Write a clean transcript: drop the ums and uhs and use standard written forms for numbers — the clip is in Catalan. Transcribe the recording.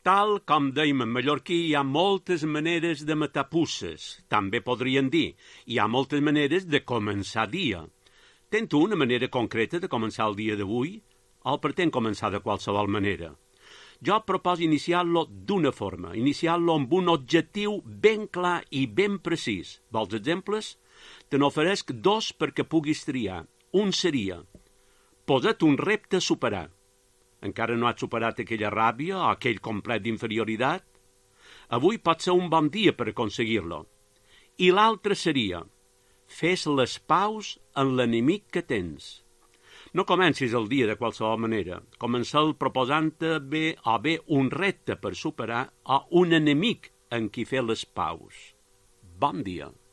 Tal com dèiem en mallorquí, hi ha moltes maneres de matar puces. També podrien dir, hi ha moltes maneres de començar dia. Tens tu una manera concreta de començar el dia d'avui? O pretén començar de qualsevol manera? Jo proposo iniciar-lo d'una forma, iniciar-lo amb un objectiu ben clar i ben precís. Vols exemples? Te n'oferesc dos perquè puguis triar. Un seria, posa't un repte a superar. Encara no has superat aquella ràbia o aquell complet d'inferioritat? Avui pot ser un bon dia per aconseguir-lo. I l'altre seria, fes les paus en l'enemic que tens. No comencis el dia de qualsevol manera. Comença-el proposant-te bé un repte per superar o un enemic en qui fer les paus. Bon dia.